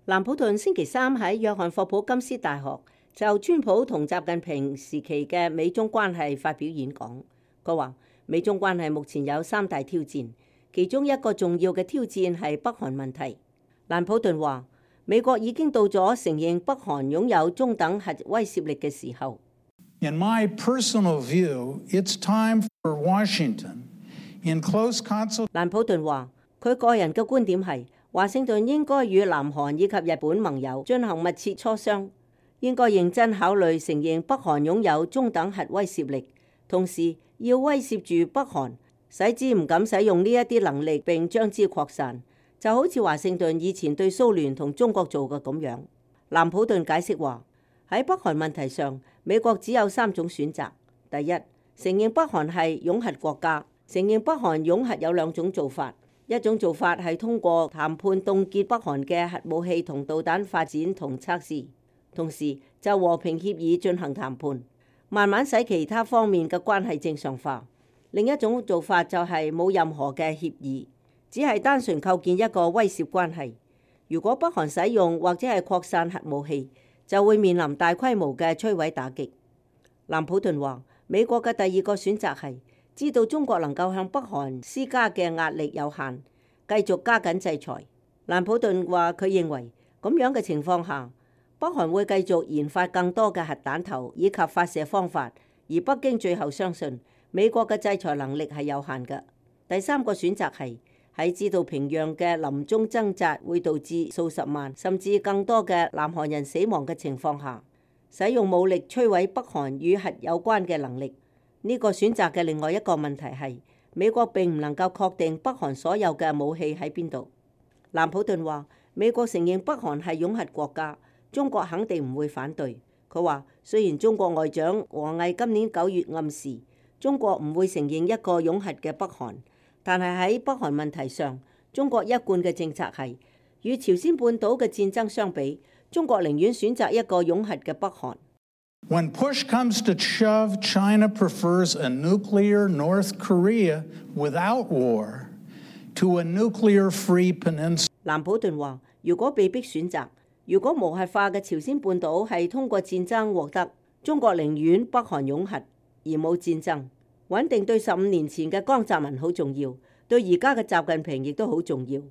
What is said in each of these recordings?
蘭普頓星期三喺約翰霍普金斯大學就川普同習近平時期嘅美中關係發表演講。佢話美中關係目前有3大挑戰，其中一個重要嘅挑戰係北韓問題。蘭普頓話美國已經到咗承認北韓擁有中等核威懾力嘅時候。In my personal view, it's time for Washington, in close consult. 蘭普頓話佢個人嘅觀點係，華盛頓應該與南韓以及日本盟友進行密切磋商，應該認真考慮承認北韓擁有中等核威懾力，同時要威懾住北韓，使之唔敢使用呢一啲能力並將之擴散，就好似華盛頓以前對蘇聯同中國做嘅咁樣。蘭普頓解釋話喺北韓問題上，美國只有3種選擇。第一，承認北韓係擁核國家，承認北韓擁核有2種做法。一種做法係通過談判凍結北韓嘅核武器同導彈發展同測試，同時就和平協議進行談判，慢慢使其他方面嘅關係正常化。另一種做法就係冇任何嘅協議，只係單純構建一個威懾關係。如果北韓使用或者係擴散核武器，就會面臨大規模嘅摧毀打擊。蘭普頓話美國嘅第2個選擇係知道中國能夠向北韓施加嘅壓力有限，繼續加緊制裁。蘭普頓話佢認為咁樣嘅情況下，北韓會繼續研發更多嘅核彈頭以及發射方法，而北京最後相信美國嘅制裁能力係有限嘅。第3個選擇係喺知道平壤嘅臨終掙扎會導致數十萬甚至更多嘅南韓人死亡嘅情況下，使用武力摧毀北韓與核有關嘅能力。呢個選擇嘅另外一個問題係，美國並唔能夠確定北韓所有嘅武器喺邊度。蘭普頓話美國承認北韓係擁核國家，中國肯定唔會反對。佢話雖然中國外長王毅今年9月暗示中國唔會承認一個擁核嘅北韓，但係喺北韓問題上，中國一貫嘅政策係與朝鮮半島嘅戰爭相比，中國寧願選擇一個擁核嘅北韓。When push comes to shove, China prefers a nuclear North Korea without war to a nuclear-free peninsula. 蘭普頓話如果被逼選擇，如果無核化嘅朝鮮半島係通過戰爭獲得，中國寧願北韓擁核而冇戰爭。穩定對15年前嘅江澤民好重要，對而家嘅習近平亦都好重要。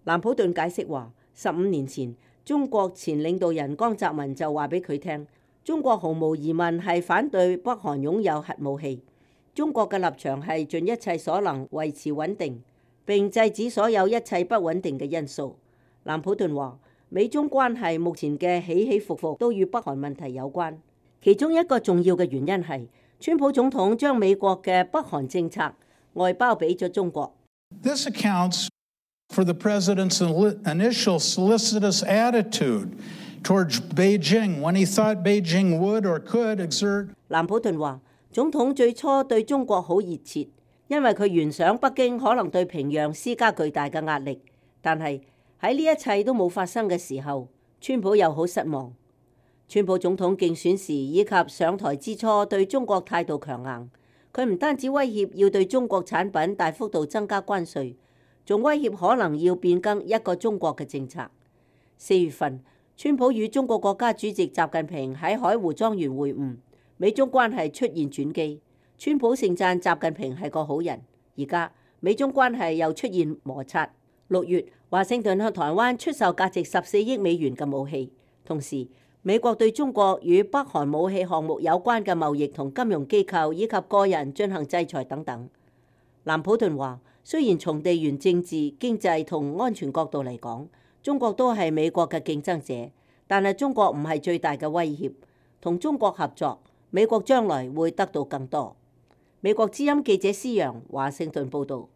蘭普頓解釋話15年前中國前領導人江澤民就話俾佢聽，中國毫無疑問係反對北韓擁有核武器。中國嘅立場係盡一切所能維持穩定，並制止所有一切不穩定嘅因素。蘭普頓話美中關係目前嘅起起伏伏都與北韓問題有關，其中一個重要嘅原因係川普總統將美國嘅北韓政策外包俾咗中國。This accounts for the president's initial solicitous attitude towards Beijing when he thought Beijing would or could exert. 蘭普頓話總統最初對中國好熱切，因為佢原想北京可能對平壤施加巨大嘅壓力，但係喺呢一切都冇發生嘅時候，川普又好失望。川普總統競選時以及上台之初對中國態度強硬，佢唔單止威脅要對中國產品大幅度增加關稅，仲威脅可能要變更一個中國嘅政策。4月份，川普與中國國家主席習近平喺海湖莊園會晤，美中關係出現轉機。川普盛讚習近平係個好人，而家美中關係又出現摩擦。6月，華盛頓向台灣出售價值14億美元嘅武器，同時美國對中國與北韓武器項目有關嘅貿易同金融機構以及個人進行制裁等等。蘭普頓話，雖然從地緣政治、經濟同安全角度嚟講，中國都係美國嘅競爭者，但係中國唔係最大嘅威脅。同中國合作，美國將來會得到更多。美國之音記者施洋華盛頓報導。